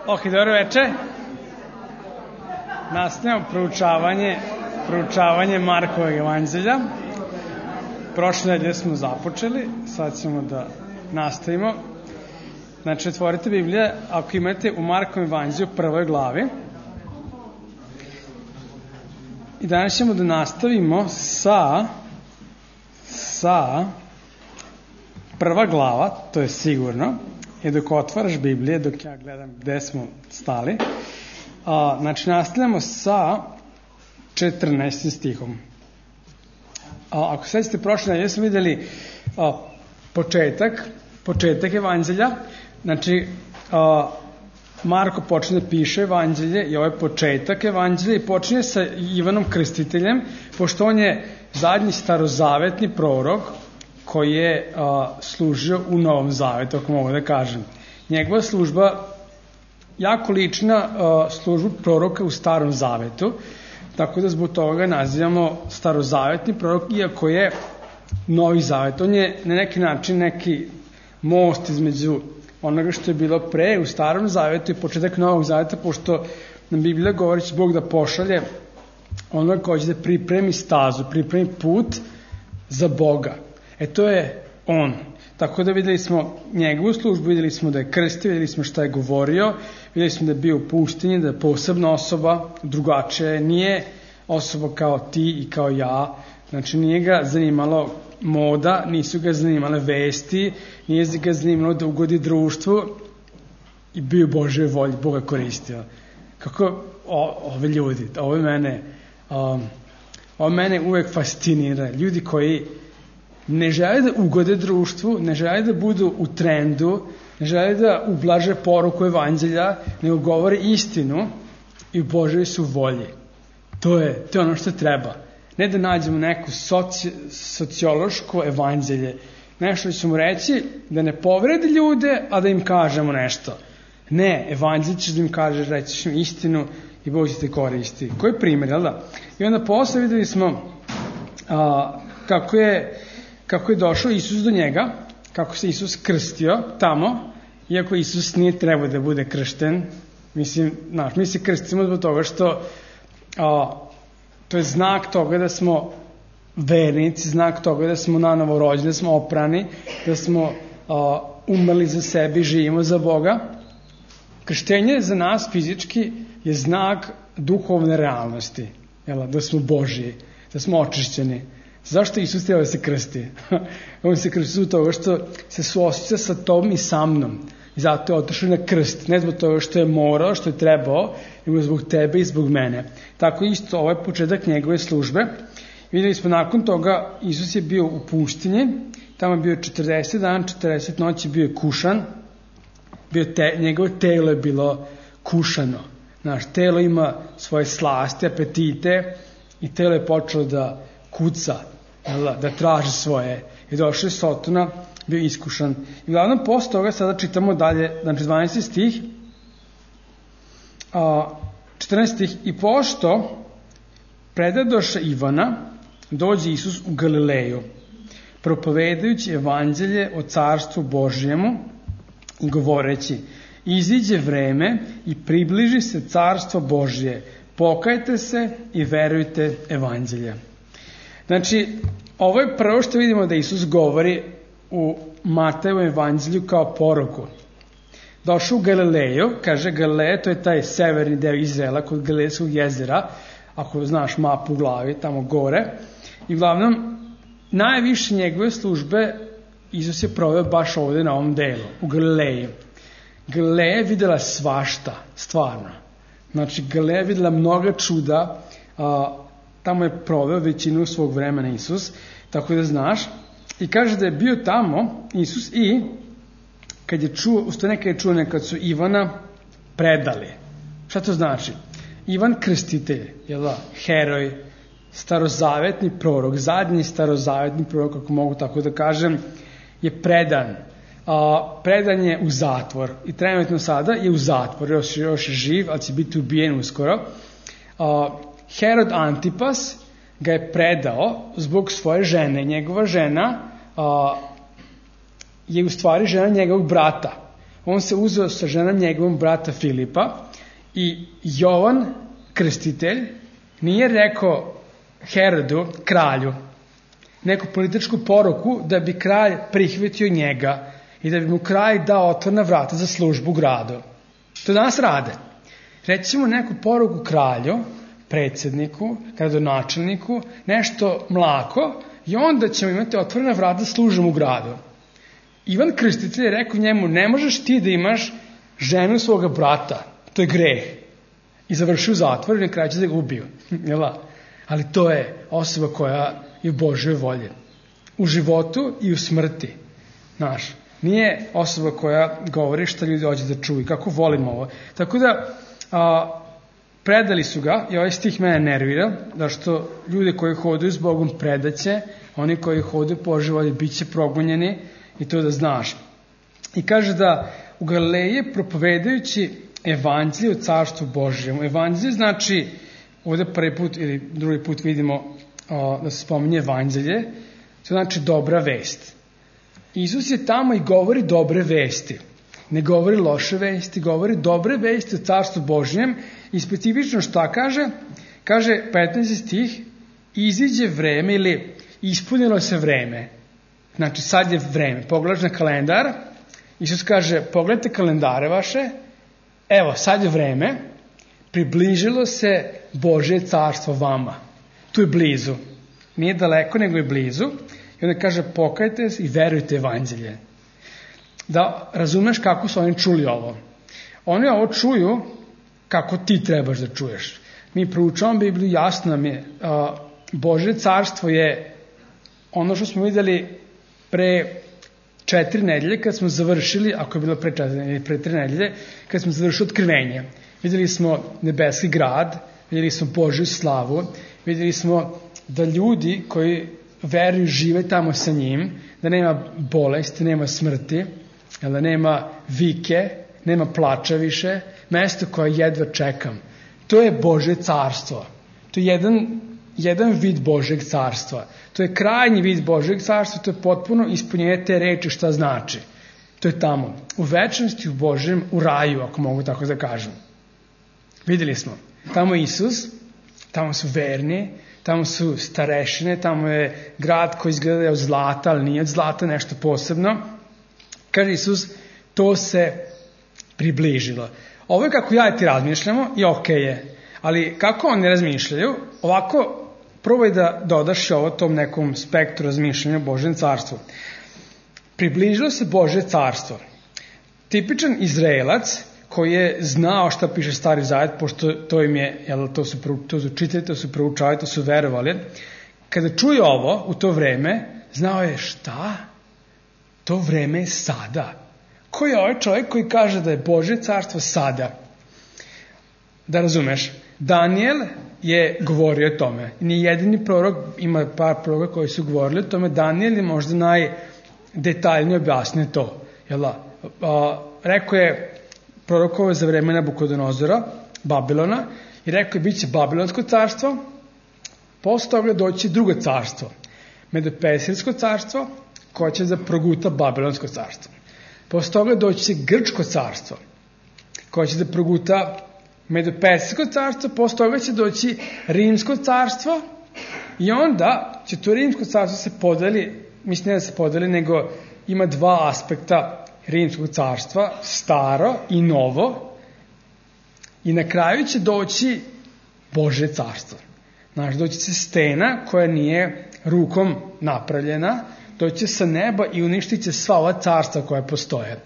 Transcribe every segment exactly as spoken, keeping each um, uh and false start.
Ok, dobro veče. Nastavljamo proučavanje, proučavanje Markovog evanđelja. Prošle nedelje smo započeli, sad ćemo da nastavimo. Znači, otvorite Biblije, ako imate u Markovom evanđelju prvoj glavi. I danas ćemo da nastavimo sa, sa prva glava, to je sigurno. I dok otvaraš Biblije, dok ja gledam gde smo stali, a, znači nastavljamo sa četrnaestim stihom. A, ako sećate prošle nedelje smo videli a, početak, početak evanđelja, znači a, Marko počne da piše evanđelje i ovaj početak evanđelja i počinje sa Ivanom Krstiteljem, pošto on je zadnji starozavetni prorok koji je a, služio u Novom Zavetu, ako mogu da kažem. Njegova služba jako lična a, službu proroka u Starom Zavetu, tako da zbog toga nazivamo starozavetni prorok, iako je Novi Zavet. On je na neki način neki most između onoga što je bilo pre u Starom Zavetu i početak Novog Zaveta, pošto nam Biblija govori će Bog da pošalje onoga koji će da pripremi stazu, pripremi put za Boga. E to je on. Tako da videli smo njegovu službu, videli smo da je krstio, videli smo šta je govorio, videli smo da je bio u pustinji, da je posebna osoba, drugačija, nije osoba kao ti i kao ja. Znači nije ga zanimalo moda, nisu ga zanimale vesti, nije ga zanimalo da ugodi društvu i bio Božoj volji, Boga koristio. Kako o, ove ljudi, ove mene, um, ove mene uvek fascinira. Ljudi koji ne žele da ugode društvu, ne žele da budu u trendu, ne žele da ublaže poruku evanđelja, nego govore istinu i u Božoj su volji. To je, to je ono što treba. Ne da nađemo neko soci, sociološko evanđelje. Nešto ćemo reći da ne povredi ljude, a da im kažemo nešto. Ne, evanđelje ćeš da im kažeš, rećeš im istinu i Bog će te koristi. Koji primjer, jel da? I onda posle videli smo a, kako je kako je došao Isus do njega, kako se Isus krstio tamo, iako Isus nije trebao da bude kršten. Mislim, znaš, mi se krstimo zbog toga što a, to je znak toga da smo vernici, znak toga da smo nanovo rođeni, da smo oprani, da smo a, umrli za sebe i živimo za Boga. Krštenje za nas fizički je znak duhovne realnosti, jel, da smo Božji, da smo očišćeni. Zašto Isus treba da se krsti? On se krsti zbog toga što se suosjeća sa tom i sa mnom. I zato je otišao na krst. Ne zbog toga što je morao, što je trebao, nego zbog tebe i zbog mene. Tako isto ovaj početak njegove službe. Videli smo nakon toga, Isus je bio u pustinji, tamo je bio četrdeset dana, četrdeset noći, bio je kušan. Bio te, njegovo telo je bilo kušano. Znaš, telo ima svoje slasti, apetite i telo je počelo da kuca, da traži svoje. I došao je Sotona, bio iskušan. I glavno posle toga sada čitamo dalje, znači dvanaesti stih, a, četrnaesti stih, i pošto predadoše Ivana, dođe Isus u Galileju, propovedajući evanđelje o carstvu Božjemu i govoreći, iziđe vreme i približi se carstvo Božje, pokajte se i verujte evanđelje. Znači, ovo je prvo što vidimo da Isus govori u Matejevom evanđelju kao poruku. Došao u Galileju, kaže Galileja, to je taj severni deo Izraela kod Galilejskog jezera, ako znaš mapu u glavi, tamo gore. I uglavnom, najviše njegove službe Isus je proveo baš ovde na ovom delu, u Galileji. Galileja je videla svašta, stvarno. Znači, Galileja je videla mnoga čuda, a, tamo je proveo većinu svog vremena Isus, tako da znaš. I kaže da je bio tamo Isus i kad je čuo, usto neka je čuo nekad su Ivana predali. Šta to znači? Ivan Krstitelj, jel da, heroj, starozavetni prorok, zadnji starozavetni prorok, ako mogu tako da kažem, je predan. A, predan je u zatvor i trenutno sada je u zatvor, još, još je živ, ali će biti ubijen uskoro. A, Herod Antipas ga je predao zbog svoje žene. Njegova žena a, je u stvari žena njegovog brata. on se uzeo sa ženom njegovom brata Filipa i Jovan, krstitelj, nije rekao Herodu, kralju, neku političku poruku da bi kralj prihvatio njega i da bi mu kralj dao otvorena vrata za službu u gradu. To danas rade. Recimo neku poruku kralju, predsjedniku, gradonačelniku, nešto mlako i onda ćemo imati otvorena vrata za službu u gradu. Ivan Krstitelj je rekao njemu, ne možeš ti da imaš ženu svoga brata, to je greh. I završio u zatvoru i na kraju će da ga ubiju. Ali to je osoba koja je u Božjoj volji. U životu i u smrti. Znaš, nije osoba koja govori šta ljudi hoće da čuju, kako volimo ovo. Tako da, a, predali su ga, i ovaj stih mene nervira, da što ljudi koji hodaju s Bogom predaće, oni koji hodaju po Božjoj volji bit će progonjeni, i to da znaš. I kaže da u Galileji propovedajući evanđelje o carstvu Božjem. Evanđelje znači, ovde prvi put ili drugi put vidimo o, da se spominje evanđelje, to znači dobra vest. Isus je tamo i govori dobre vesti. Ne govori loše vesti, govori dobre vesti o carstvu Božjem i specifično šta kaže? Kaže petnaesti stih, iziđe vreme ili ispunilo se vreme. Znači sad je vreme. Pogledaš na kalendar, Isus kaže pogledajte kalendare vaše, evo sad je vreme, približilo se Božje carstvo vama. Tu je blizu. Nije daleko, nego je blizu. I onda kaže pokajte se i verujte evanđelje. Da razumeš kako su oni čuli ovo. Oni ovo čuju kako ti trebaš da čuješ. Mi proučavamo Bibliju, jasno nam je. A, Božje carstvo je ono što smo vidjeli pre četiri nedelje, kad smo završili, ako je bilo pre četiri nedelje, pre tri nedelje, kad smo završili otkrivenje. Vidjeli smo nebeski grad, vidjeli smo Božju slavu, vidjeli smo da ljudi koji veruju žive tamo sa njim, da nema bolesti, nema smrti, da nema vike, nema plača više, mesto koje jedva čekam. To je Božje carstvo. To je jedan, jedan vid Božjeg carstva. To je krajnji vid Božjeg carstva, to je potpuno ispunjenje te reči šta znači. To je tamo. U večnosti, u Božjem, u raju, ako mogu tako da kažem. Vidjeli smo. Tamo je Isus, tamo su verni, tamo su starešine, tamo je grad koji izgleda od zlata, ali nije od zlata, nešto posebno. Kaže Isus, to se približilo. Ovo je kako ja i ti razmišljamo i okej je. Ali kako oni razmišljaju, ovako probaj da dodaš ovo tom nekom spektru razmišljanja o Božjem carstvu. Približilo se Božje carstvo. Tipičan Izraelac koji je znao šta piše Stari Zavet, pošto to im je, jel, to su, to su čitali, to su proučavali, to su verovali. Kada čuje ovo u to vreme, znao je šta? To vreme je sada. Ko je ovaj čovjek koji kaže da je Božje carstvo sada? Da razumeš, Daniel je govorio o tome. Nije jedini prorok, ima par proroka koji su govorili o tome. Daniel je možda najdetaljnije objasnio to. Jel, a, a, rekao je prorokovo za vreme Nabukodonozora, Babilona, i rekao je bit će Babilonsko carstvo, posle toga doći drugo carstvo, Medopesirsko carstvo, koje će da proguta Babilonsko carstvo. Posle toga doći Grčko carstvo, koje će da proguta Medopesirsko carstvo, posle toga će doći Rimsko carstvo i onda će to Rimsko carstvo se podeli, mislim ne da se podeli, nego ima dva aspekta Rimskog carstva, staro i novo, i na kraju će doći Božje carstvo. Znači, doći će stena koja nije rukom napravljena, doći će sa neba i uništit će sva ova carstva koja postoje.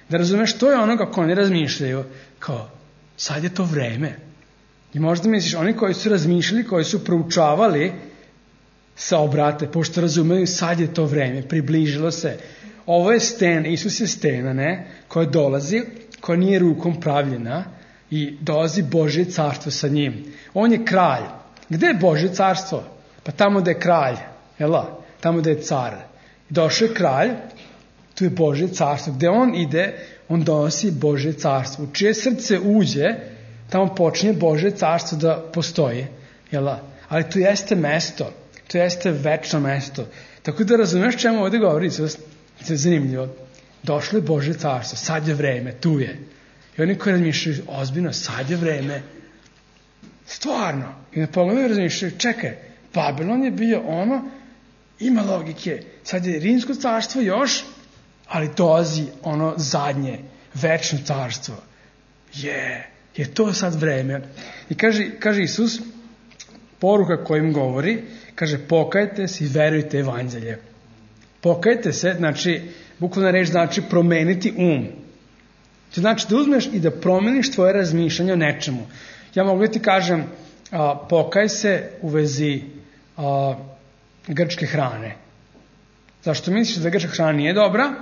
Da razumeš, to je ono kako oni razmišljaju, kao, sad je to vreme. I možda misliš, oni koji su razmišljali, koji su proučavali, se obrate, pošto razumeju, sad je to vreme, približilo se. Ovo je stena, Isus je stena, ne, koja dolazi, koja nije rukom pravljena i dolazi Božje carstvo sa njim. On je kralj. Gde je Božje carstvo? Pa tamo da je kralj, jela, tamo da je car. Došao je kralj, tu je Božje carstvo. Gde on ide, on donosi Božje carstvo. U čije srce uđe, tamo počinje Božje carstvo da postoji, jela. Ali tu jeste mesto, tu jeste večno mesto. Tako da razumeš čemu ovdje govori Isus. To je zanimljivo. došlo je Božje carstvo, sad je vreme, tu je. I oni koji razmišljaju, ozbiljno, sad je vreme, stvarno. I na pogledu razmišljaju, čekaj, Babilon je bio ono, ima logike, sad je Rimsko carstvo još, ali dolazi ono zadnje, večno carstvo. Je, je to sad vreme. I kaže, kaže Isus, poruka kojim govori, kaže, pokajte se i verujte evanđelje. Pokajte se, znači, bukvalna reč znači promeniti um. To znači da uzmeš i da promeniš tvoje razmišljanje o nečemu. Ja mogu da ti kažem, a, pokaj se u vezi a, grčke hrane. Zašto misliš da grčka hrana nije dobra?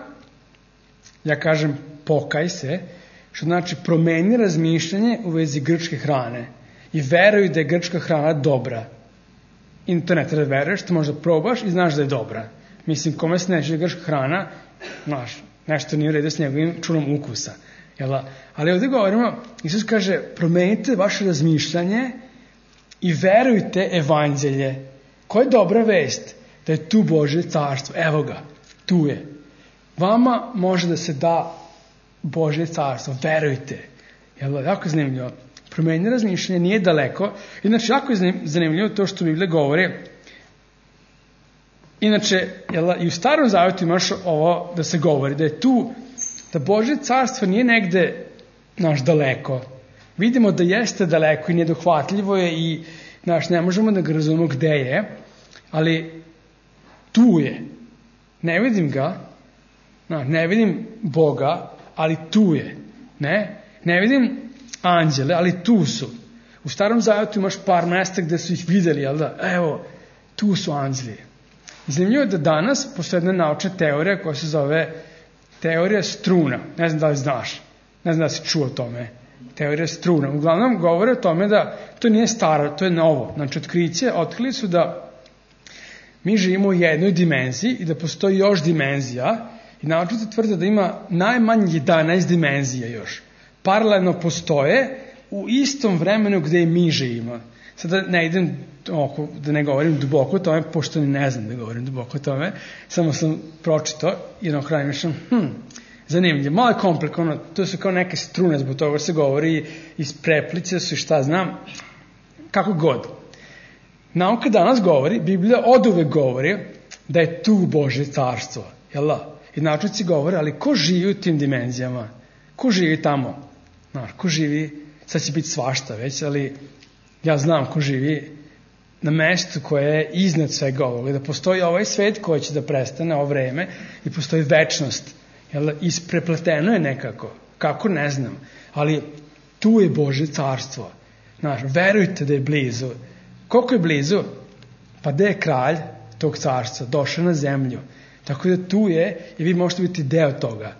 Ja kažem, pokaj se, što znači promeni razmišljanje u vezi grčke hrane. I veruj da je grčka hrana dobra. I to ne treba da veruješ, to možda probaš i znaš da je dobra. Mislim, kome se neće grčka hrana, znaš, nešto nije u redu s njegovim čunom ukusa. Jel? Ali ovdje govorimo, Isus kaže, promenite vaše razmišljanje i verujte evanđelje. Koja je dobra vest? Da je tu Božje carstvo. Evo ga, tu je. Vama može da se da Božje carstvo, verujte. Jel? Jako zanimljivo. Promenite razmišljanje, nije daleko. Inače, jako je zanimljivo to što Biblija govori. Inače, jel, i u Starom Zavjetu imaš ovo da se govori, da je tu, da Božje carstvo nije negde naš daleko. Vidimo da jeste daleko i nedohvatljivo je i naš, ne možemo da ga razumemo gde je, ali tu je. Ne vidim ga, naš, ne vidim Boga, ali tu je. Ne, ne vidim anđele, ali tu su. U Starom Zavjetu imaš par mesta gde su ih videli, jel da? Evo, tu su anđeli. Zanimljivo je da danas postoji jedna naučna teorija koja se zove teorija struna. Ne znam da li znaš, ne znam da li si čuo o tome. Teorija struna. Uglavnom govore o tome da to nije staro, to je novo. Znači, otkriće, otkrili su da mi živimo u jednoj dimenziji i da postoji još dimenzija i naučnici tvrde da ima najmanje jedanaest dimenzija još. Paralelno postoje u istom vremenu gde i mi živimo. Sada ne idem, oko, da ne govorim duboko o tome, pošto ne znam da govorim duboko o tome, samo sam pročito i na kraju mišljam, hm, zanimljivo, malo je komplikovano, to su kao neke strune, zbog toga se govori, iz preplice su i šta znam, kako god. Nauka danas govori, Biblija oduvek govori da je tu Božje carstvo, jel da? I naučnici govore, ali ko živi u tim dimenzijama? Ko živi tamo? Znaš, ko živi, sad će biti svašta već, ali ja znam ko živi na mestu koje je iznad svega ovoga, da postoji ovaj svet koji će da prestane ovo vreme i postoji večnost. Jel, isprepleteno je nekako. Kako, ne znam. Ali tu je Božje carstvo. Znaš, verujte da je blizu. Koliko je blizu? Pa gde je kralj tog carstva? Došao na zemlju. Tako da tu je i vi možete biti deo toga.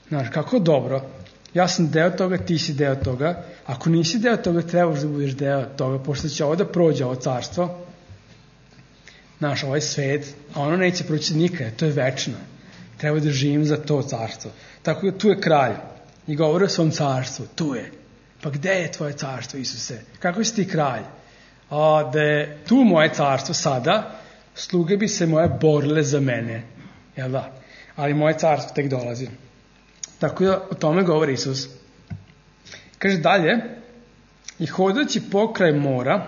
Znaš, kako dobro. Ja sam deo toga, ti si deo toga. Ako nisi deo toga, trebaš da budeš deo toga, pošto će ovo da prođe, ovo carstvo, naš ovaj svet, a ono neće proći nikada, to je večno. Treba da živim za to carstvo. Tako da tu je kralj i govori o svom carstvu, tu je. Pa gde je tvoje carstvo, Isuse? Kako si ti kralj? A, da je tu moje carstvo sada, sluge bi se moje borile za mene. Jel da? Ali moje carstvo tek dolazi. Tako da o tome govori Isus. Kaže dalje, i hodajući pokraj mora,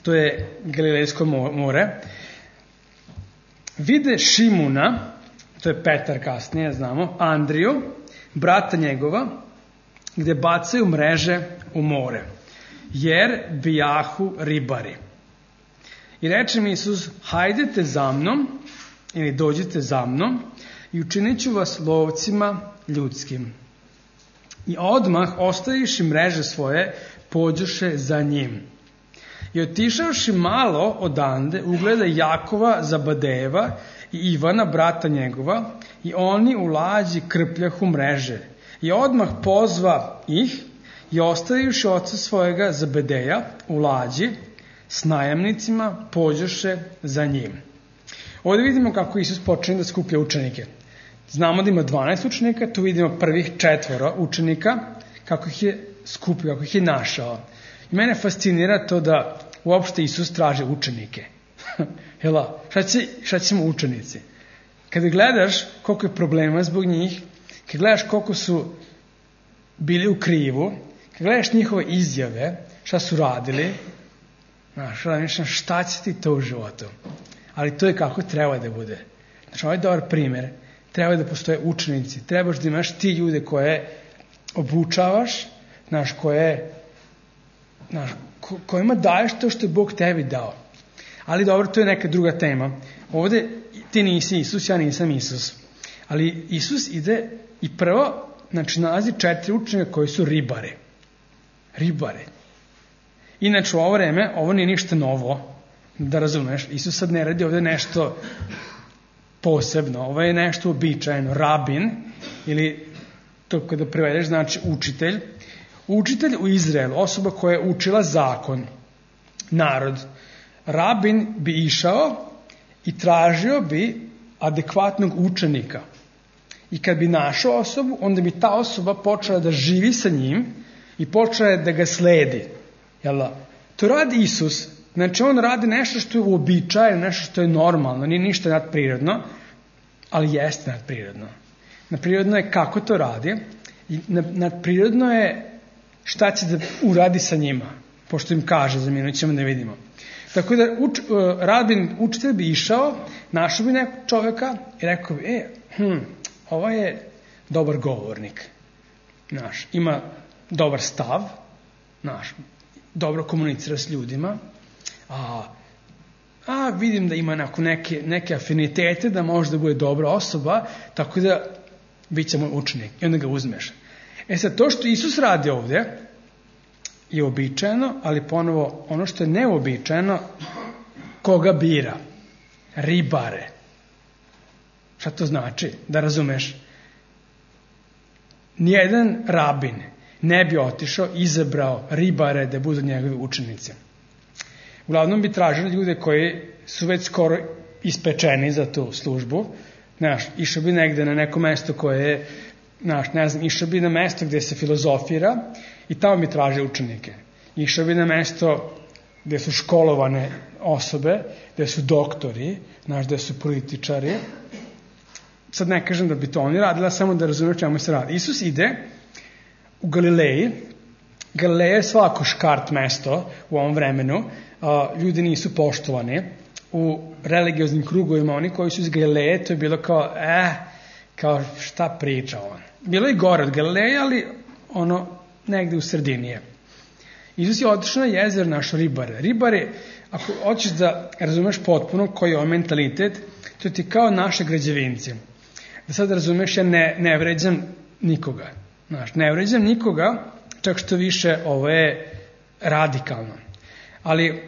to je Galilejsko more, vide Šimuna, to je Petar kasnije, znamo, Andriju, brata njegova, gde bacaju mreže u more, jer bijahu ribari. I reče mi Isus, hajdete za mnom, ili dođite za mnom, i učinit ću vas lovcima ljudskim. I odmah, ostaviši mreže svoje, pođoše za njim. I otišavši malo odande, ugleda Jakova, Zabadejeva i Ivana, brata njegova, i oni u lađi krpljahu mreže. I odmah pozva ih i ostavivši oca svojega Zabedeja u lađi s najamnicima, pođoše za njim. Ovdje vidimo kako Isus počinje da skuplja učenike. Znamo da ima dvanaest učenika, tu vidimo prvih četvoro učenika, kako ih je skupio, kako ih je našao. I mene fascinira to da uopšte Isus traži učenike. Jela, šta će, šta ćemo učenici? Kada gledaš koliko je problema zbog njih, kad gledaš koliko su bili u krivu, kad gledaš njihove izjave, šta su radili, znaš, šta će ti to u životu? Ali to je kako treba da bude. Znači, ovo je dobar primjer. Treba da postoje učenici. Trebaš da imaš ti ljude koje obučavaš, znaš, koje, znaš, ko, kojima daješ to što je Bog tebi dao. Ali dobro, to je neka druga tema. Ovde ti nisi Isus, ja nisam Isus. Ali Isus ide i prvo, znači, nalazi četiri učenika koji su ribare. Ribare. Inače, u ovo vreme, ovo nije ništa novo, da razumeš. Isus sad ne radi ovde nešto posebno. Ovo je nešto običajno. Rabin, ili to kada prevedeš, znači učitelj. Učitelj u Izraelu, osoba koja je učila zakon, narod. Rabin bi išao i tražio bi adekvatnog učenika. I kad bi našao osobu, onda bi ta osoba počela da živi sa njim i počela da ga sledi. Jel da? To radi Isus. Znači, on radi nešto što je uobičajeno, nešto što je normalno, nije ništa nadprirodno, ali jeste nadprirodno. Nadprirodno je kako to radi i nadprirodno je šta će da uradi sa njima, pošto im kaže, za minut ćemo da vidimo. Tako da uč, Rabin, učitelj bi išao, našao bi nekog čoveka i rekao bi, e, hm, ovo je dobar govornik, naš, ima dobar stav, naš, dobro komunicira s ljudima, a, a vidim da ima neke, neke afinitete, da može da bude dobra osoba, tako da bit će moj učenik. I onda ga uzmeš. E sad, to što Isus radi ovdje je običajno, ali ponovo ono što je neobičajeno, koga bira? Ribare. Šta to znači? Da razumeš? Nijedan rabin ne bi otišao, izabrao ribare da budu njegovi učenici. Uglavnom bi tražili ljude koji su već skoro ispečeni za tu službu. Znaš, išao bi negde na neko mesto koje je, znaš, ne znam, išao bi na mesto gde se filozofira i tamo bi tražili učenike. Išao bi na mesto gde su školovane osobe, gde su doktori, znaš, gde su političari. Sad ne kažem da bi to oni radila, samo da razumiju čemu se radi. Isus ide u Galileji. Galileja je svako škart mesto u ovom vremenu. Ljudi nisu poštovani. U religioznim krugovima, oni koji su iz Galileje, to je bilo kao, eh, kao šta priča on. Bilo je gore od Galileje, ali ono, negde u sredini je. Isus je otišao na jezer naš ribare. Ribare, ako hoćeš da razumeš potpuno koji je ovaj mentalitet, to ti kao naše građevinci. Da sad razumeš, ja ne, ne vređam nikoga. Znaš, ne vređam nikoga, čak što više ovo je radikalno. Ali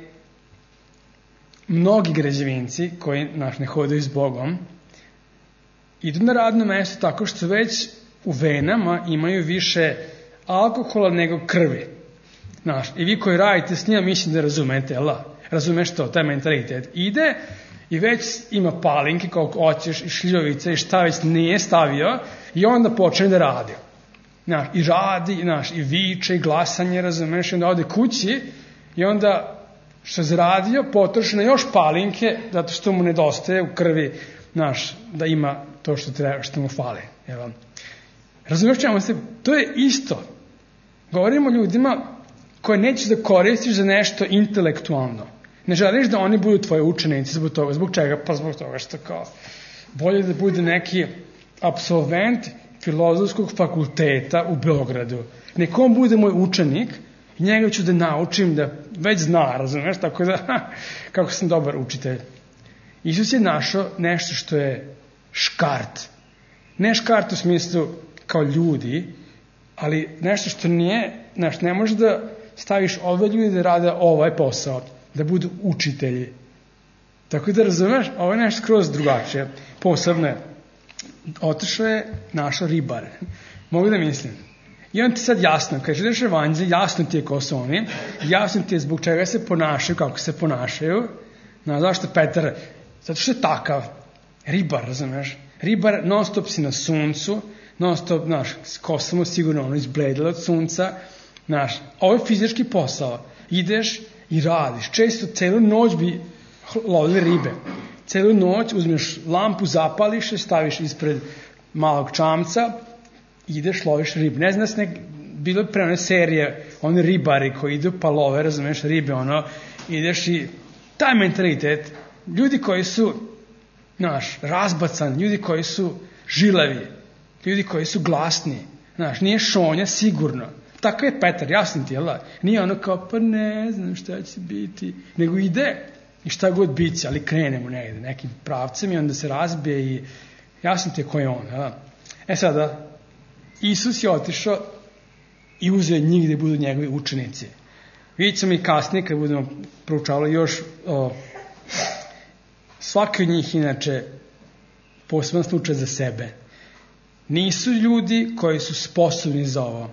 mnogi građevinci koji, znaš, ne hodaju s Bogom, idu na radno mesto tako što već u venama imaju više alkohola nego krvi. Znaš, i vi koji radite s njima, mislim da razumete, jel da? Razumeš to, taj mentalitet. Ide i već ima palinke koliko hoćeš i šljivovice i šta već nije stavio i onda počne da radi. Znaš, i radi, znaš, i viče i glasanje, razumeš, i onda ode kući i onda što je zaradio, potroši na još palinke, zato što mu nedostaje u krvi, znaš, da ima to što treba, što mu fali. Jel? Razumiješ čemu se? To je isto. Govorimo ljudima koje nećeš da koristiš za nešto intelektualno. Ne želiš da oni budu tvoji učenici zbog toga. Zbog čega? Pa zbog toga što kao bolje da bude neki apsolvent filozofskog fakulteta u Beogradu. Neko on bude moj učenik i njega ću da naučim da već zna, razumiješ? Tako da, kako sam dobar učitelj. Isus je našao nešto što je škart. Ne škart u smislu kao ljudi, ali nešto što nije, znaš, ne može da staviš ove ljudi da rade ovaj posao, da budu učitelji. Tako da razumeš, ovo je nešto skroz drugačije. Posebno je, otišao je našao ribare. Mogu da mislim. I on ti sad jasno, kad želiš evanđelje, jasno ti je ko su oni, jasno ti je zbog čega se ponašaju, kako se ponašaju. No, zašto Petar? Zato što je takav. Ribar, razumeš? Ribar, non stop si na suncu, non stop, znaš, kosa mu sigurno ono izbledila od sunca, znaš, ovo je fizički posao. Ideš i radiš. Često celu noć bi lovili ribe. Celu noć uzmeš lampu, zapališ je, staviš ispred malog čamca, ideš, loviš ribu. Ne znam da se nek, bilo pre one serije, one ribari koji idu pa love, razumeš, ribe, ono, ideš i taj mentalitet, ljudi koji su, znaš, razbacan, ljudi koji su žilavi, ljudi koji su glasni, znaš, nije šonja sigurno. Tako je Petar, jasno ti, jel da? Nije ono kao, pa ne znam šta će biti, nego ide i šta god biće, ali krenemo negde, nekim pravcem i onda se razbije i jasno ti je ko je on, jel da? E sada, Isus je otišao i uzeo njih gde budu njegovi učenici. Vidjet ćemo i kasnije kad budemo proučavali još o, svaki od njih inače poseban slučaj za sebe. Nisu ljudi koji su sposobni za ovo,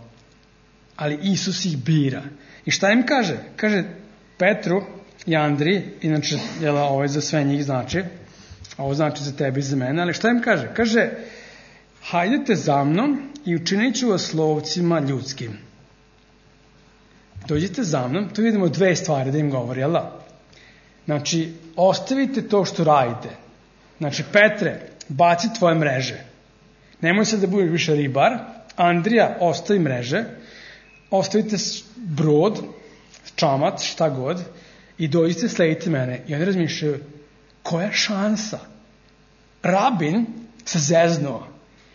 ali Isus ih bira. I šta im kaže? Kaže Petru i Andriji, inače jel, ovo je za sve njih znači, a ovo znači za tebe i za mene, ali šta im kaže? Kaže, hajdete za mnom i učinit ću vas lovcima ljudskim. Dođite za mnom, tu vidimo dve stvari da im govori, jel da? Znači, ostavite to što radite. Znači, Petre, baci tvoje mreže. Nemoj se da budeš više ribar. Andrija, ostavi mreže. Ostavite brod, čamac, šta god, i dođite, sledite mene. I oni razmišljaju, koja šansa? Rabin se zeznuo.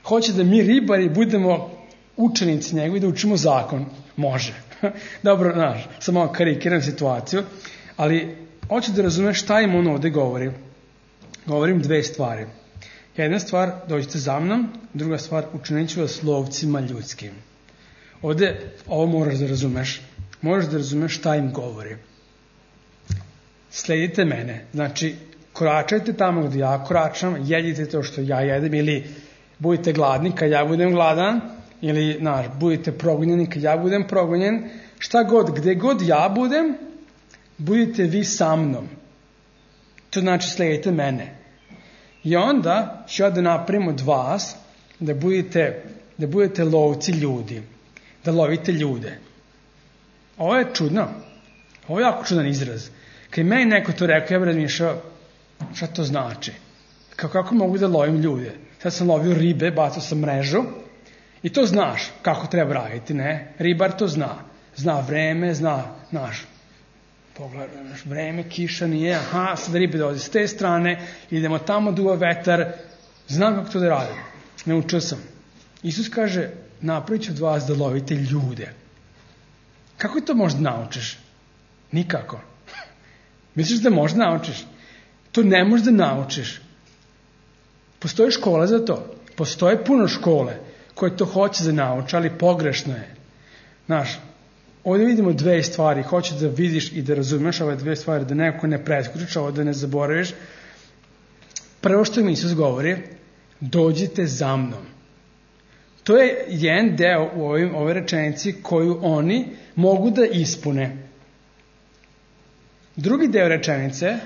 Hoće da mi ribari budemo učenici njegovi, da učimo zakon. Može. Dobro, znaš, sam malo karikiram situaciju, ali hoću da razumeš šta im on ovde govori. Govorim dve stvari. Jedna stvar, dođite za mnom, druga stvar, učinit ću vas lovcima ljudskim. Ovde, ovo moraš da razumeš. Moraš da razumeš šta im govori. Sledite mene. Znači, koračajte tamo gde ja koračam, jedite to što ja jedem, ili budite gladni kad ja budem gladan, ili, znaš, budite progonjeni kad ja budem progonjen. Šta god, gde god ja budem, budite vi sa mnom. To znači sledite mene. I onda ću ja da napravim od vas da budete, da budete lovci ljudi. Da lovite ljude. Ovo je čudno. Ovo je jako čudan izraz. Kad meni neko to rekao, ja bih razmišljao šta to znači. Kako, kako mogu da lovim ljude? Sad sam lovio ribe, bacao sam mrežu i to znaš kako treba raditi, ne? Ribar to zna. Zna vreme, zna, znaš, pogledaš, vreme, kiša nije, aha, sad ribe dolaze s te strane, idemo tamo, duva vetar, znam kako to da radim. Naučio sam. Isus kaže, napravit ću od vas da lovite ljude. Kako to možda naučiš? Nikako. Misliš da možda naučiš? To ne možeš da naučiš. Postoje škola za to. Postoje puno škole koje to hoće da nauče, ali pogrešno je. Znaš, ovdje vidimo dve stvari. Hoće da vidiš i da razumeš ove dve stvari, da neko ne preskučiš, ovo da ne zaboraviš. Prvo što mi Isus govori, dođite za mnom. To je jedan deo u ovim, ovoj rečenici koju oni mogu da ispune. Drugi deo rečenice,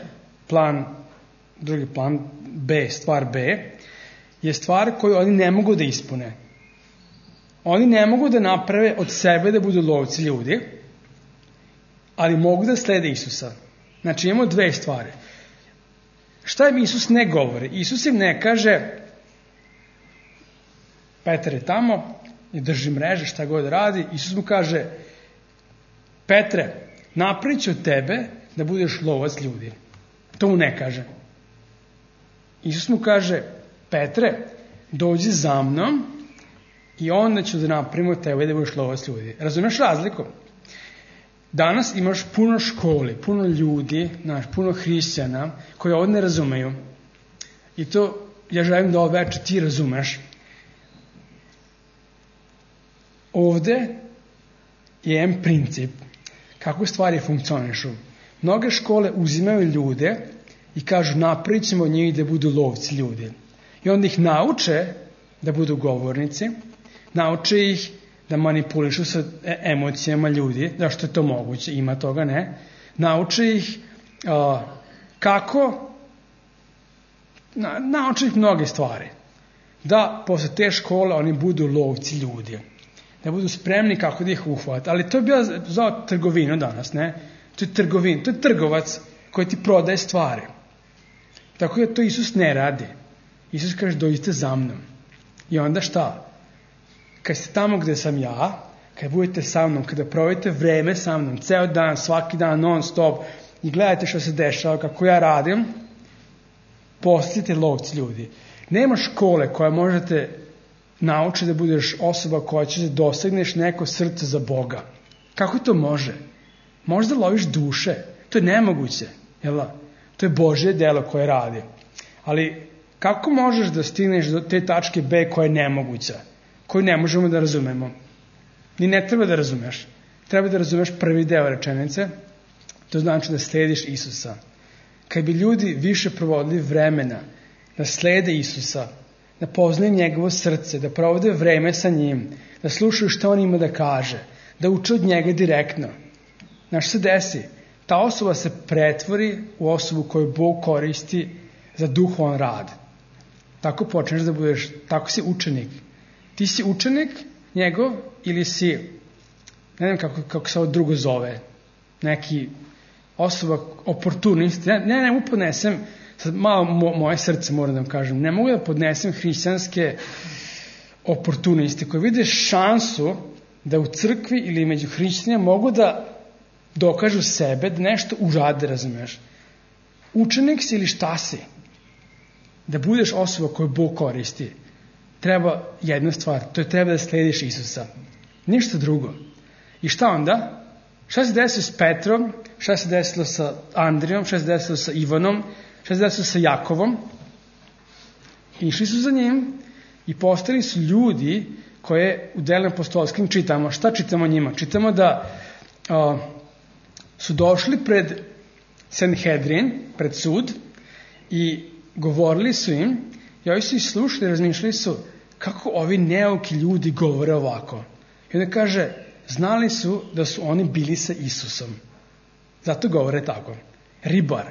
plan, drugi plan B, stvar B, je stvar koju oni ne mogu da ispune. Oni ne mogu da naprave od sebe da budu lovci ljudi, ali mogu da slede Isusa. Znači imamo dve stvari. Šta im Isus ne govori? Isus im ne kaže, Petar je tamo i drži mreže, šta god radi. Isus mu kaže, Petre, napravit ću od tebe da budeš lovac ljudi. To mu ne kaže. Isus mu kaže, Petre, dođi za mnom i onda ću da napravim od tebe da budeš lovac ljudi. Razumeš razliku? Danas imaš puno školi, puno ljudi, znaš, puno hrišćana koji ovo ne razumeju. I to ja želim da ovo veče ti razumeš. Ovde je jedan princip kako stvari funkcionišu. Mnoge škole uzimaju ljude i kažu napravit ćemo od njih da budu lovci ljudi. I onda ih nauče da budu govornici, nauče ih da manipulišu sa emocijama ljudi, zašto je to moguće, ima toga, ne. Nauče ih uh, kako, na, nauče ih mnoge stvari. Da posle te škole oni budu lovci ljudi. Da budu spremni kako da ih uhvate. Ali to je bila za trgovinu danas, ne? To je trgovin, to je trgovac koji ti prodaje stvari. Tako da to Isus ne radi. Isus kaže, dođite za mnom. I onda šta? kad ste tamo gde sam ja, kad budete sa mnom, kada provedete vreme sa mnom, ceo dan, svaki dan, non stop, i gledate što se dešava, kako ja radim, postanite lovci ljudi. Nema škole koja možete naučiti da budeš osoba koja će da dosegneš neko srce za Boga. Kako to može? Možda loviš duše. To je nemoguće. Jel? To je Božje delo koje radi. Ali kako možeš da stigneš do te tačke B koja je nemoguća? Koju ne možemo da razumemo? Ni ne treba da razumeš. Treba da razumeš prvi deo rečenice. To znači da slediš Isusa. Kad bi ljudi više provodili vremena da slede Isusa, da poznaju njegovo srce, da provode vreme sa njim, da slušaju što on ima da kaže, da uče od njega direktno. Znaš se desi? Ta osoba se pretvori u osobu koju Bog koristi za duhovan rad. Tako počneš da budeš, tako si učenik. Ti si učenik njegov ili si, ne znam kako, kako se ovo drugo zove, neki osoba oportunist. Ne, ne, ne podnesem, sad malo mo, moje srce moram da vam kažem, ne mogu da podnesem hrišćanske oportuniste koji vide šansu da u crkvi ili među hrišćanima mogu da dokažu sebe, da nešto urade, razumeš. Učenik si ili šta si? Da budeš osoba koju Bog koristi, treba jedna stvar, to je treba da slediš Isusa. Ništa drugo. I šta onda? Šta se desilo s Petrom? Šta se desilo sa Andrijom? Šta se desilo sa Ivanom? Šta se desilo sa Jakovom? Išli su za njim i postali su ljudi koje u delima apostolskim čitamo. Šta čitamo njima? Čitamo da a, su došli pred Sanhedrin, pred sud, i govorili su im, i ovi su ih slušali, razmišljali su kako ovi neuki ljudi govore ovako. I onda kaže, znali su da su oni bili sa Isusom. Zato govore tako. Ribar.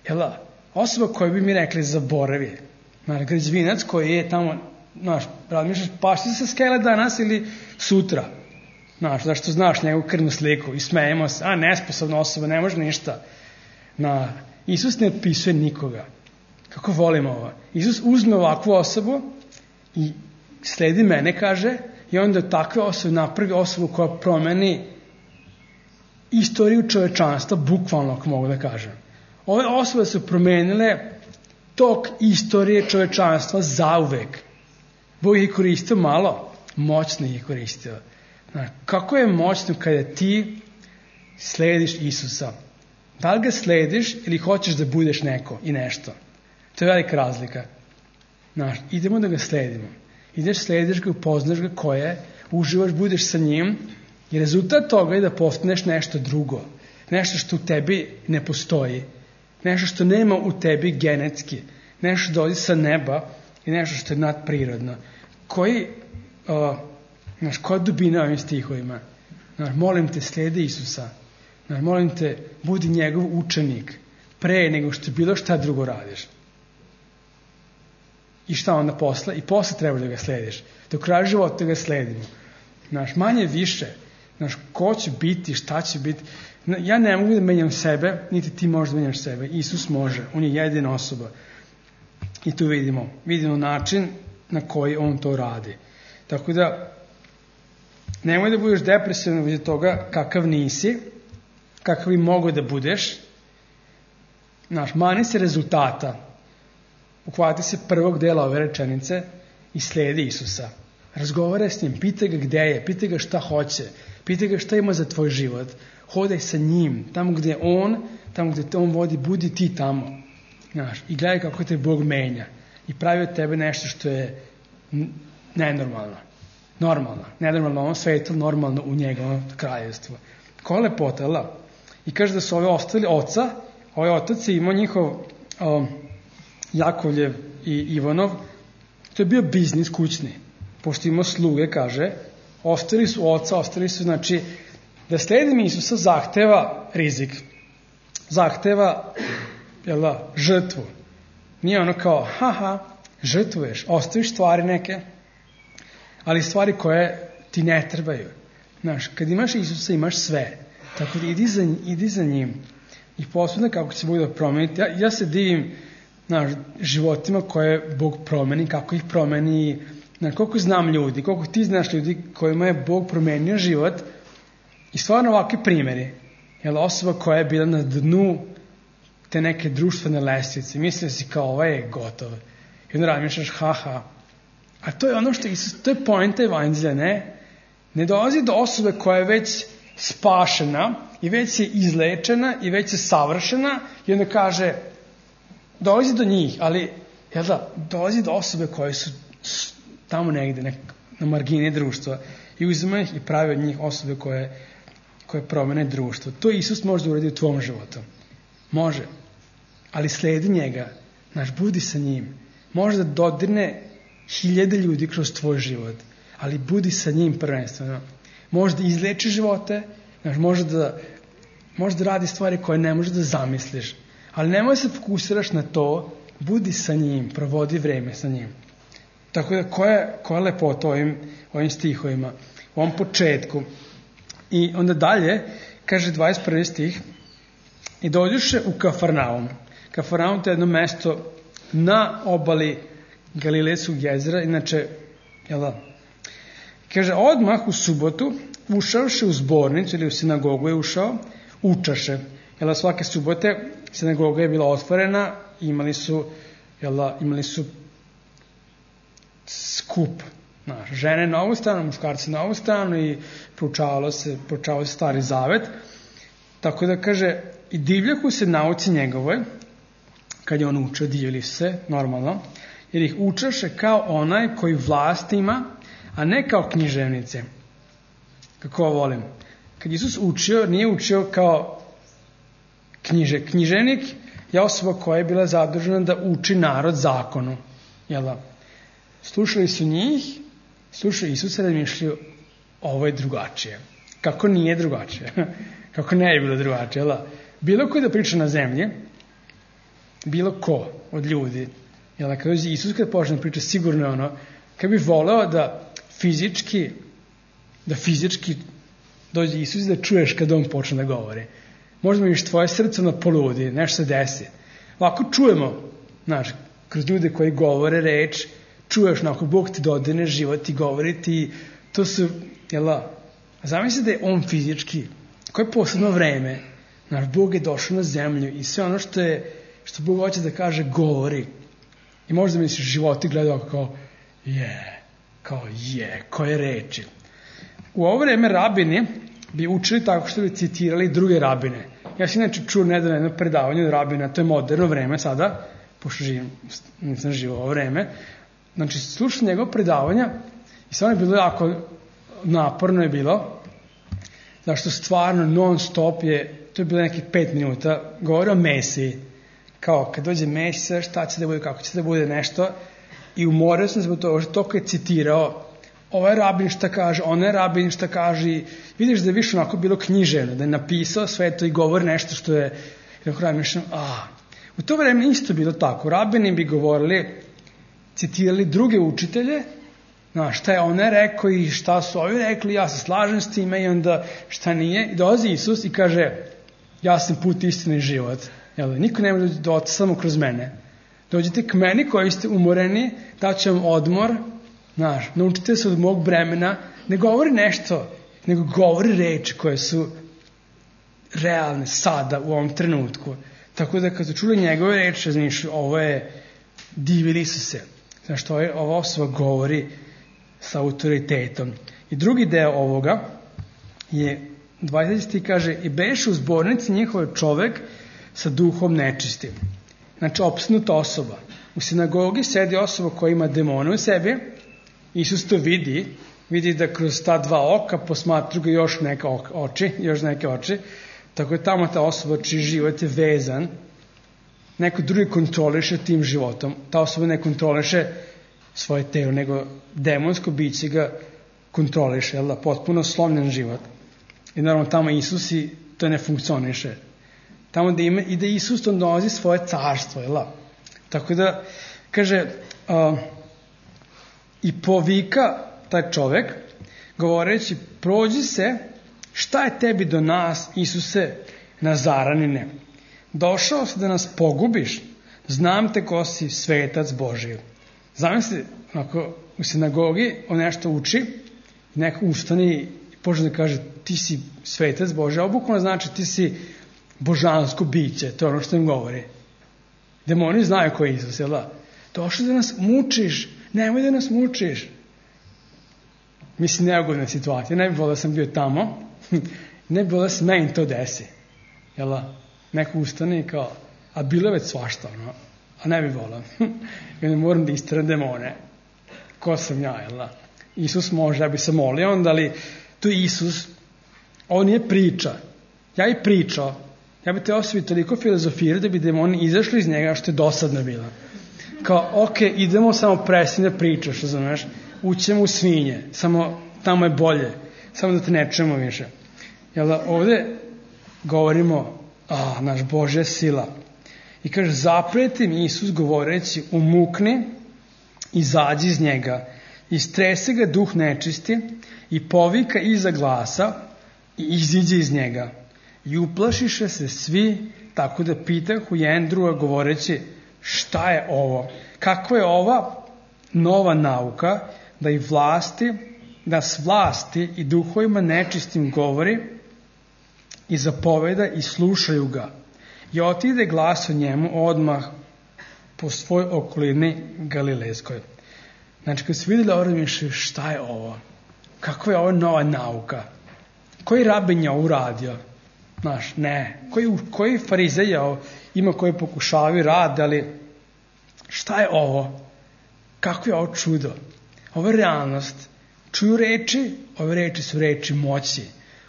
Jela, osoba koju bi mi rekli zaboravi. Znaš, građevinac koji je tamo, znaš, razmišljaš, pašti se skele danas ili sutra. Znaš, zašto znaš njegovu krvnu sliku i smejemo se, a nesposobna osoba, ne može ništa. Na, Isus ne otpisuje nikoga. Kako volimo ovo? Isus uzme ovakvu osobu i sledi mene, kaže, i onda od takve osobe napravi osobu koja promeni istoriju čovečanstva, bukvalno, ako mogu da kažem. Ove osobe su promenile tok istorije čovečanstva zauvek. Bog je koristio malo, moćno je koristio. Znači, kako je moćno kada ti slediš Isusa? Da li ga slediš ili hoćeš da budeš neko i nešto? To je velika razlika. Znači, idemo da ga sledimo. Ideš, slediš ga, upoznaš ga ko je, uživaš, budeš sa njim i rezultat toga je da postaneš nešto drugo. Nešto što u tebi ne postoji. Nešto što nema u tebi genetski. Nešto što dolazi sa neba i nešto što je nadprirodno. Koji, uh, znaš, koja dubina ovim stihovima? Znaš, molim te, sledi Isusa. Znaš, molim te, budi njegov učenik pre nego što bilo šta drugo radiš. I šta onda posle? I posle treba da ga slediš. Do kraja života ga sledimo. Znaš, manje više. Znaš, ko će biti, šta će biti. Ja ne mogu da menjam sebe, niti ti možeš da menjaš sebe. Isus može. On je jedina osoba. I tu vidimo. Vidimo način na koji on to radi. Tako da, nemoj da budeš depresivan od toga kakav nisi, kakav bi mogo da budeš. Znaš, mani se rezultata. Uhvati se prvog dela ove rečenice i sledi Isusa. Razgovaraj s njim, pitaj ga gde je, pitaj ga šta hoće, pitaj ga šta ima za tvoj život. Hodaj sa njim, tamo gde je on, tamo gde te on vodi, budi ti tamo. Znaš, i gledaj kako te Bog menja. I pravi od tebe nešto što je nenormalno. Normalno. Nenormalno u ovom svetu, normalno u njegovom kraljevstvu. Koja lepota, la? I kaže da su ovi ostali oca, ovaj otac je imao njihov um, Jakovljev i Ivanov, to je bio biznis kućni. Pošto imao sluge, kaže, ostali su oca, ostali su, znači, da sledim Isusa zahteva rizik. Zahteva, jel da, žrtvu. Nije ono kao, haha, žrtvuješ, ostaviš stvari neke, ali stvari koje ti ne trebaju. Znaš, kad imaš Isusa, imaš sve. Tako da idi za, idi za njim. I posebno kako će Bog da promeniti. Ja, ja se divim, znaš, životima koje Bog promeni, kako ih promeni, Na koliko znam ljudi, koliko ti znaš ljudi kojima je Bog promenio život i stvarno ovakvi primjeri. Jel, osoba koja je bila na dnu te neke društvene lestvice, misli si kao ovaj je gotov. I onda razmišljaš, haha. A to je ono što Isus, to je poenta evanđelja, ne? Ne dolazi do osobe koja je već spašena i već je izlečena i već je savršena i onda kaže, dolazi do njih, ali jel da, dolazi do osobe koje su tamo negde, nek, na margini društva i uzima ih i pravi od njih osobe koje, koje promene društvo. To Isus može da uradi u tvom životu. Može. Ali sledi njega. Znaš, budi sa njim. Može da dodirne hiljade ljudi kroz tvoj život. Ali budi sa njim prvenstveno. Može da izleči živote. Znaš, može da, može da radi stvari koje ne možeš da zamisliš. Ali nemoj se fokusiraš na to. Budi sa njim. Provodi vreme sa njim. Tako da, koja, koja je lepota ovim, ovim stihovima? U ovom početku. I onda dalje, kaže dvadeset prvi stih, i dođuše u Kafarnaum. Kafarnaum to je jedno mesto na obali Galilejskog jezera, inače, jel da? Kaže, odmah u subotu, ušavše u zbornicu ili u sinagogu je ušao, učaše. Jel da, svake subote sinagoga je bila otvorena, imali su, jel da, imali su skup. Znaš, žene na ovu stranu, muškarci na ovu stranu i proučavalo se, proučavalo se Stari Zavet. Tako da kaže, i divljahu se nauci njegovoj, kad je on učio, divili se, normalno, jer ih učaše kao onaj koji vlast ima, a ne kao književnice. Kako volim. Kad Isus učio, nije učio kao knjiže. Književnik je osoba koja je bila zadužena da uči narod zakonu. Jel da? Slušali su njih, slušaju Isusa, razmišljaju, ovo je drugačije. Kako nije drugačije? Kako ne je bilo drugačije? Jel da? Bilo ko da priča na zemlji, bilo ko od ljudi, jel da, kad dođe Isus, kad počne da priča, sigurno je ono, kad bi voleo da fizički, da fizički dođe Isus i da čuješ kad on počne da govori. Možda vidiš tvoje srce na poludi, nešto se desi. Ovako čujemo, znaš, kroz ljude koji govore reč, čuješ, onako, Bog ti dodine život i govori ti, to su, jel da, zamisli da je on fizički, koje je posebno vreme, znaš, Bog je došao na zemlju i sve ono što je, što Bog hoće da kaže, govori. I možda misliš, životi gledao kao, je, kao je, koje reči. U ovo vreme rabini bi učili tako što bi citirali druge rabine. Ja sam inače čuo nedavno jedno predavanje od rabina, to je moderno vreme sada, pošto živim, nisam živo ovo vreme. Znači, slušam njegov predavanja i stvarno je bilo jako naporno je bilo, zašto stvarno non stop je, to je bilo nekih pet minuta, govori o Mesiji. Kao, kad dođe Mesija, šta će da bude, kako će da bude nešto. I umorio sam se zbog toga, što toliko je citirao, ovaj rabin šta kaže, onaj rabin šta kaže. I vidiš da je više onako bilo književno, da je napisao sve to i govori nešto što je, i tako razmišljam, a. U to vreme isto bilo tako. Rabini bi govorili, citirali druge učitelje, znaš, šta je onaj rekao i šta su ovi rekli, ja se slažem s time i onda šta nije. I dolazi Isus i kaže, ja sam put, istina i život. Jel, niko ne može da oca samo kroz mene. Dođite k meni koji ste umoreni, daću vam odmor, znaš, naučite se od mog bremena, ne govori nešto, nego govori reči koje su realne sada u ovom trenutku. Tako da kad su čuli njegove reči, razmišljaju, ovo je, divili su se. Znaš, to je, ova osoba govori sa autoritetom. I drugi deo ovoga je, dvadeseti kaže, i beše u zbornici njihov čovek sa duhom nečistim. Znači, opsnuta osoba. U sinagogi sedi osoba koja ima demone u sebi. Isus to vidi. Vidi da kroz ta dva oka posmatru ga još neke oči, još neke oči. Tako je tamo ta osoba čiji život je vezan. Neko drugi kontroliše tim životom. Ta osoba ne kontroliše svoje telo, nego demonsko biće ga kontroliše, jel da, potpuno slomljen život. I naravno tamo Isus i to ne funkcioniše. Tamo da ima, i da Isus to dolazi svoje carstvo, jel da? Tako da, kaže, uh, i povika taj čovek, govoreći, prođi se, šta je tebi do nas, Isuse, Nazaranine? Došao si da nas pogubiš, znam te ko si svetac Božiji. Zamisli, onako, u sinagogi, on nešto uči, neko ustane i počne da kaže ti si svetac Bože, a bukvalno znači ti si božansko biće, to je ono što im govori. Demoni znaju ko je Isus, jel da? Došli da nas mučiš, nemoj da nas mučiš. Mislim, neugodna situacija, ne bi volio da sam bio tamo, ne bi volio da se meni to desi, jel da? Neko ustane i kao, a bilo je već svašta, ono, a ne bi volio. I onda moram da isteram demone. Ko sam ja, jel da? Isus može, ja bi se molio onda, ali to je Isus, ovo nije priča. Ja i pričao, ja bi te osvio toliko filozofirao da bi demoni izašli iz njega što je dosadno bilo. Kao, ok, idemo, samo prestani da pričaš, razumeš? Ućemo u svinje, samo tamo je bolje, samo da te ne čujemo više. Jel da, ovde govorimo, a, naš Božja sila. I kaže, zapreti mi Isus govoreći, umukni, izađi iz njega, istrese ga duh nečisti i povika iza glasa i iziđe iz njega. I uplašiše se svi, tako da pitahu jedan druga govoreći, šta je ovo? Kakva je ova nova nauka da i vlasti, da s vlasti i duhovima nečistim govori i zapoveda i slušaju ga. I otide glas o njemu odmah po svoj okolini Galilejskoj. Znači, kad se vidjeli ovo, razmišljaju, šta je ovo? Kakva je ovo nova nauka? Koji rabin je ovo uradio? Znaš, ne. Koji, koji farizej ima koji pokušavaju rad, ali šta je ovo? Kako je ovo čudo? Ovo je realnost. Čuju reči, ove reči su reči moći.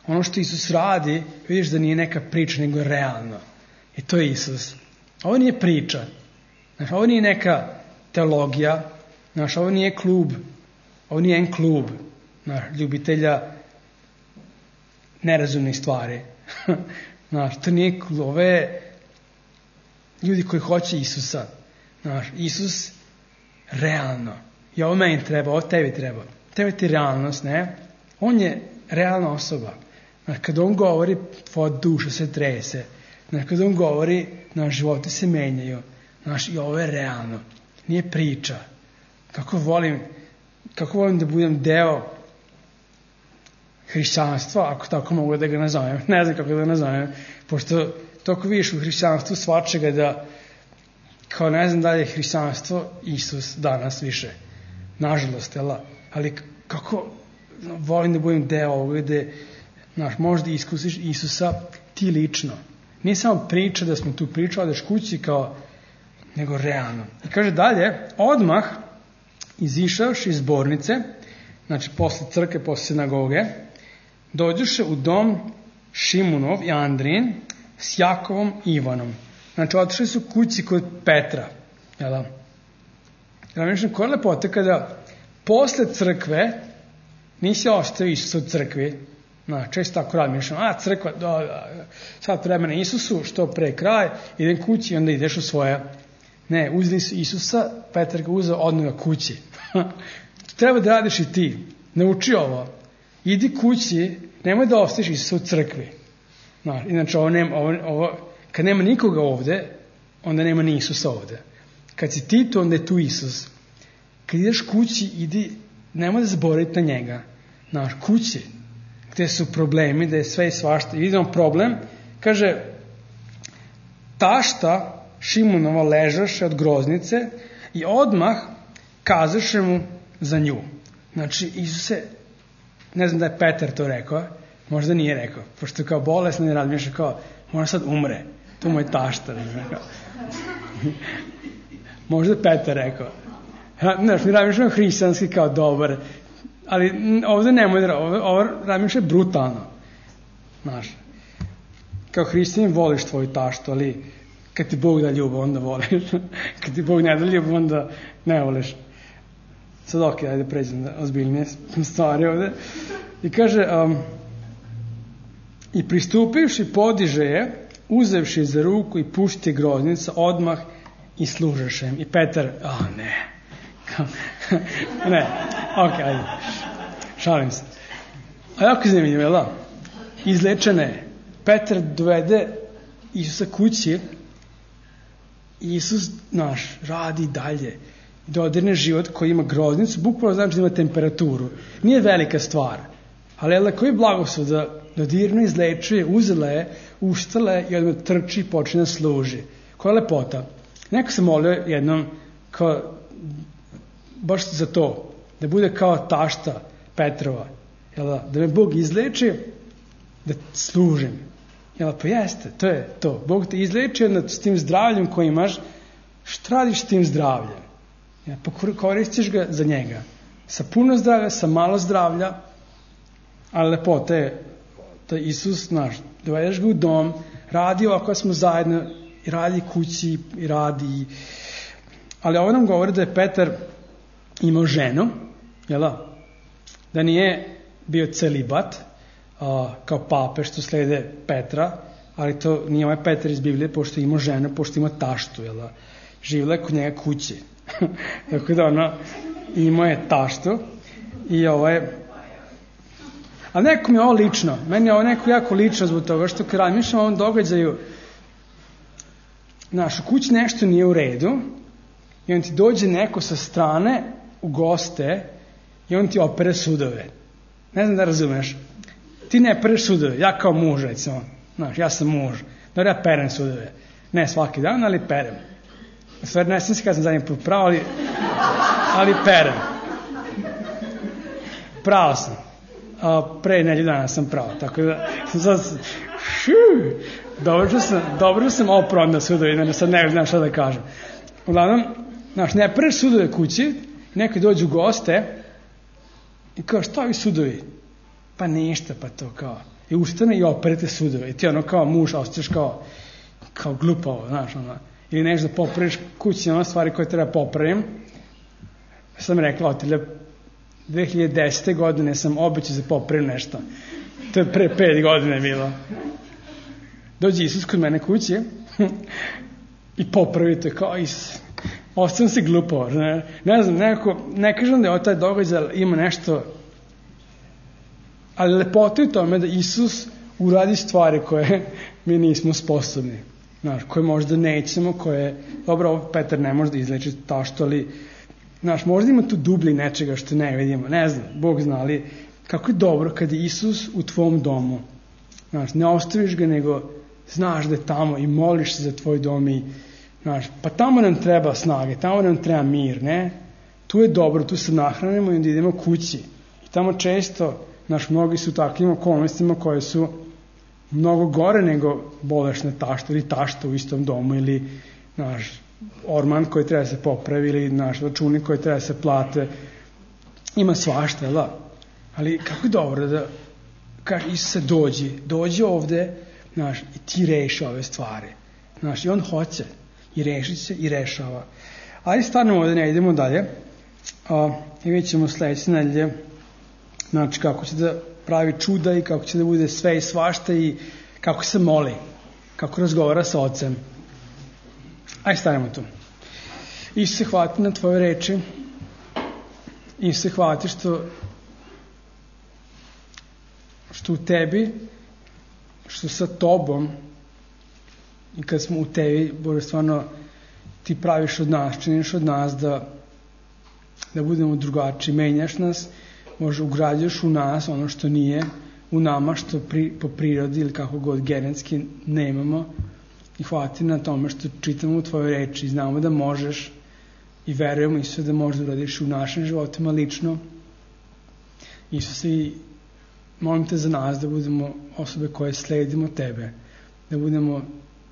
Ono što Isus radi, vidiš da nije neka priča, nego je realno. I to je Isus. Ovo nije priča. Znaš, ovo nije neka teologija. Znaš, ovo nije klub. Ovo nije en klub. Znaš, ljubitelja nerazumnih stvari. Znaš, to nije klub. Ovo je ljudi koji hoće Isusa. Znaš, Isus realno. I ovo meni treba, ovo tebi treba. Tebi ti realnost, ne? On je realna osoba. Znaš, kad on govori, tvoja duša se trese. Znaš, kad on govori, naš životi se menjaju. Znaš, i ovo je realno. Nije priča. Kako volim, kako volim da budem deo hrišćanstva, ako tako mogu da ga nazovem. Ne znam kako da ga nazovem, pošto toliko vidiš u hrišćanstvu svačega da, kao ne znam da li je hrišćanstvo Isus danas više. Nažalost, jel? Ali kako volim da budem deo ovoga gde, znaš, možda iskusiš Isusa ti lično. Nije samo priča da smo tu pričali, daš kući kao, nego realno. I kaže dalje, odmah izišavši iz zbornice, znači posle crkve, posle sinagoge, dođuše u dom Šimunov i Andrijin s Jakovom i Ivanom. Znači, otišli su kući kod Petra. Jel da? Ja mislim, koja je lepota kada posle crkve nisi ostavio Isusa u crkvi. No, često tako radi, mišljam, a crkva, da, da, sad vremena Isusu, što pre kraj, idem kući i onda ideš u svoje. Ne, uzeli su Isusa, Petar ga uzeo odnoga kući. Treba da radiš i ti. Nauči ovo. Idi kući, nemoj da ostaviš Isusa u crkvi. No, inače, ovo nema, ovo, ovo, kad nema nikoga ovde, onda nema ni Isusa ovde. Kad si ti tu, onda je tu Isus. Kad ideš kući, idi, nemoj da zaboraviti na njega. Znaš, kući, gde su problemi, gde je sve i svašta. I vidimo problem, kaže, tašta Šimunova ležaše od groznice i odmah kazaše mu za nju. Znači, Isuse, ne znam da je Petar to rekao, možda nije rekao, pošto kao bolesno ne razmišlja kao, možda sad umre, to mu je tašta. Možda je Petar rekao. Znaš, mi razmišljamo hrišćanski kao dobar, ali ovde nemoj da, ovo, ovo razmišlja brutalno. Znaš, kao hrišćanin voliš tvoju taštu, ali kad ti Bog da ljubav, onda voliš. Kad ti Bog ne da ljubav, onda ne voliš. Sad ok, ajde pređem da ozbiljnije stvari ovde. I kaže, um, i pristupivši podiže je, uzevši za ruku i pušti groznica, odmah i služaše im. I Petar, a oh, ne. Ne, ok, ajde. Šalim se. A jako zanimljivo, jel da? Izlečene. Petar dovede Isusa kući i Isus, naš, radi dalje. dodirne život koji ima groznicu, bukvalno znači da ima temperaturu. Nije velika stvar, ali je koji blagoslov da dodirno izlečuje, uzela je, ustala je i odmah trči i počne da služi. Koja je lepota. Neko se molio jednom kao, baš za to, da bude kao tašta Petrova, jel da, da me Bog izleči, da služim. Jel da, pa jeste, to je to. Bog te izleči s tim zdravljem koji imaš, šta radiš s tim zdravljem? Ja, pa koristiš ga za njega. Sa puno zdravlja, sa malo zdravlja, ali lepota je da Isus, znaš, dovedeš ga u dom, radi ovako smo zajedno, i radi kući, i radi. Ali ovo nam govori da je Petar imao ženu, jel da? Da nije bio celibat, a, kao pape što slede Petra, ali to nije ovaj Petar iz Biblije, pošto ima ženu, pošto ima taštu, jel da? Živjela je kod njega kući. Tako da ono, imao je taštu i ovo je... Ali neko mi je ovo lično, meni je ovo neko jako lično zbog toga što kad razmišljam o ovom događaju, znaš, u kući nešto nije u redu i on ti dođe neko sa strane u goste i on ti opere sudove. Ne znam da razumeš. Ti ne pereš sudove, ja kao muž, recimo, znaš, ja sam muž, dobro ja perem sudove. Ne svaki dan, ali perem. Stvar, ne sam se kada sam zadnji put pravo, ali, ali perem. Pravo sam. A, pre nedelju dana sam pravo, tako da sad, šu, dobro sam, dobro sam oprao onda sudovi, sad ne znam šta da kažem. Uglavnom, znaš, ne pereš sudove kući, neko dođu u goste i kao, šta ovi sudovi? Pa ništa, pa to kao. I ustane i operete sudove. I ti ono kao muž, ostaš kao, kao glupavo, znaš, ono. Ili nešto da popraviš kući, ono stvari koje treba popravim. Sam rekla, otelja, dve hiljade desete. godine sam obećao da popravim nešto. To je pre pet godine bilo. Dođe Isus kod mene kući i popravi to kao Isus. Ostavim se glupavo. Ne, ne znam, nekako, ne kažem da je taj događaj ima nešto, ali lepota je u tome da Isus uradi stvari koje mi nismo sposobni. Znaš, koje možda nećemo, koje, dobro, ovo Petar ne može da izleči tašto, ali, znaš, možda ima tu dublji nečega što ne vidimo, ne znam, Bog zna, ali kako je dobro kad je Isus u tvom domu. Znaš, ne ostaviš ga, nego znaš da je tamo i moliš se za tvoj dom i, znaš, pa tamo nam treba snage, tamo nam treba mir, ne? Tu je dobro, tu se nahranimo i onda idemo kući. I tamo često, znaš, mnogi su takvim okolnostima koje su mnogo gore nego bolešne tašte ili tašta u istom domu ili naš orman koji treba se popravi ili naš računi koji treba se plate. Ima svašta, da. Ali kako je dobro da kaže Isuse dođi, dođi ovde, znaš, i ti reši ove stvari. Znaš, i on hoće i reši se i rešava. Ali stvarno ovde ne idemo dalje. A, i vidjet ćemo sledeće nedelje, znači kako će da pravi čuda i kako će da bude sve i svašta i kako se moli, kako razgovara sa Ocem. Ajde stanemo tu. Isuse, hvati na tvoje reči. Isuse, hvati što što u tebi, što sa tobom i kad smo u tebi, Bože, stvarno ti praviš od nas, činiš od nas da da budemo drugačiji, menjaš nas, možda ugrađaš u nas ono što nije u nama, što pri, po prirodi ili kako god genetski nemamo, i hvati na tome što čitamo u tvojoj reči i znamo da možeš i verujemo Isuse da možeš da uradiš u našim životima lično. Isuse, i molim te za nas da budemo osobe koje sledimo tebe, da budemo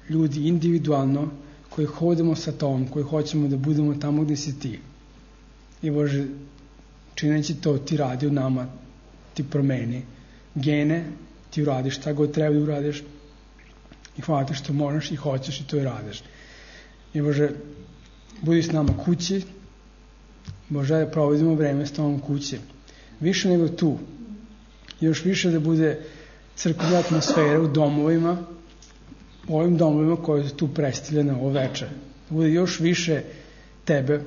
ljudi individualno koji hodimo sa tobom, koji hoćemo da budemo tamo gde si ti. I Bože, čineći to, ti radi u nama, ti promeni gene, ti uradiš šta god treba da uradiš i hvala te što možeš i hoćeš i to i radiš. I Bože, budi s nama kući, Bože, da provodimo vreme s tobom kući. Više nego tu. Još više da bude crkvena atmosfera u domovima, u ovim domovima koje su tu predstavljene ovo večer. Da bude još više tebe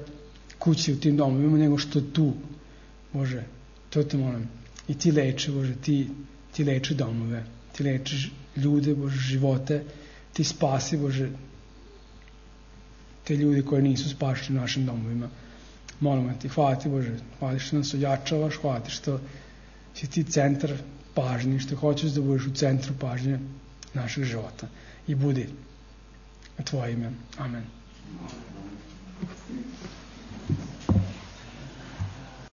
kući u tim domovima nego što tu. Bože, to te molim. I ti leči, Bože, ti, ti leči domove, ti leči ljude, Bože, živote, ti spasi, Bože, te ljudi koji nisu spašeni u našim domovima. Molimo ti, hvala ti Bože, hvala što nas ojačavaš, hvala ti što si ti centar pažnje, što hoćeš da budeš u centru pažnje našeg života. I budi u tvoje ime. Amen.